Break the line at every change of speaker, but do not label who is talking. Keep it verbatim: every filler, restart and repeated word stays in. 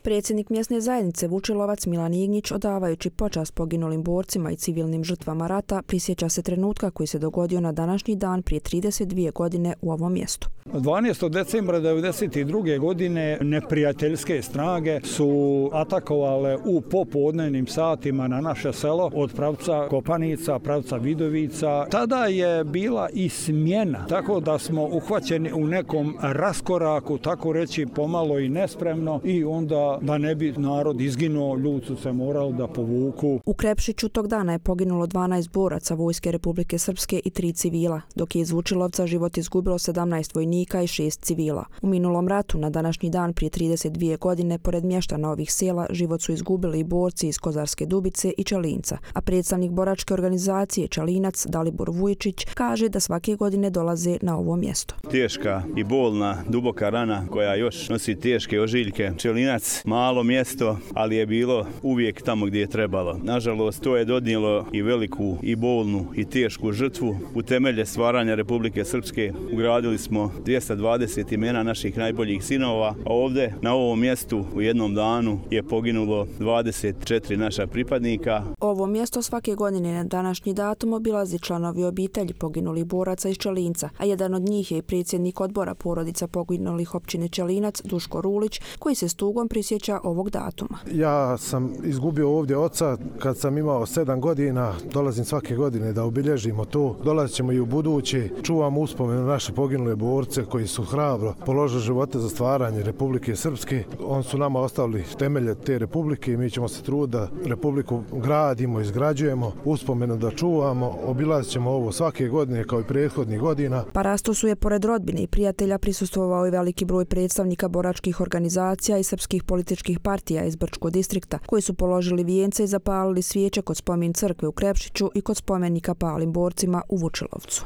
Predsjednik mjesne zajednice Vučilovac Milan Ignjić, odavajući počast poginulim borcima i civilnim žrtvama rata, prisjeća se trenutka koji se dogodio na današnji dan prije trideset dvije godine u ovom mjestu.
dvanaestog decembra devedeset druge godine neprijateljske snage su atakovale u popodnevnim satima na naše selo od pravca Kopanica, pravca Vidovica. Tada je bila i smjena, tako da smo uhvaćeni u nekom raskoraku, tako reći pomalo i nespremno, i onda da ne bi narod izginuo, ljudi su se morali da povuku.
U Krepšiću tog dana je poginulo dvanaest boraca Vojske Republike Srpske i tri civila, dok je iz Vučilovca život izgubilo sedamnaest vojnika i šest civila. U minulom ratu na današnji dan prije trideset dvije godine, pored mještana ovih sela, život su izgubili i borci iz Kozarske Dubice i Čelinca, a predstavnik boračke organizacije Čelinac Dalibor Vujčić kaže da svake godine dolaze na ovo mjesto.
Teška i bolna, duboka rana koja još nosi teške ožiljke. Čelinac, malo mjesto, ali je bilo uvijek tamo gdje je trebalo. Nažalost, to je donijelo i veliku i bolnu i tešku žrtvu. U temelje stvaranja Republike Srpske ugradili smo dvjesto dvadeset imena naših najboljih sinova, a ovdje na ovom mjestu u jednom danu je poginulo dvadeset četiri naša pripadnika.
Ovo mjesto svake godine na današnji datum obilazi članovi obitelji poginulih boraca iz Čelinca, a jedan od njih je i predsjednik odbora porodica poginulih općine Čelinac Duško Rulić, koji se s tugom prisjeća ovog datuma.
Ja sam izgubio ovdje oca kad sam imao sedam godina, dolazim svake godine da obilježimo to. Dolazit ćemo i u budući, čuvamo uspomenu naše poginule borce koji su hrabro položili živote za stvaranje Republike Srpske. Oni su nama ostavili temelje te republike i mi ćemo se truditi da republiku gradimo, izgrađujemo, uspomenu da čuvamo, obilazit ćemo ovo svake godine kao i prethodnih godina.
Parastosu je pored rodbine i prijatelja prisustvovao i veliki broj predstavnika boračkih organizacija i srpskih političkih partija iz Brčkog distrikta, koji su položili vijence i zapalili svijeće kod spomen crkve u Krepšiću i kod spomenika palim borcima u Vučilovcu.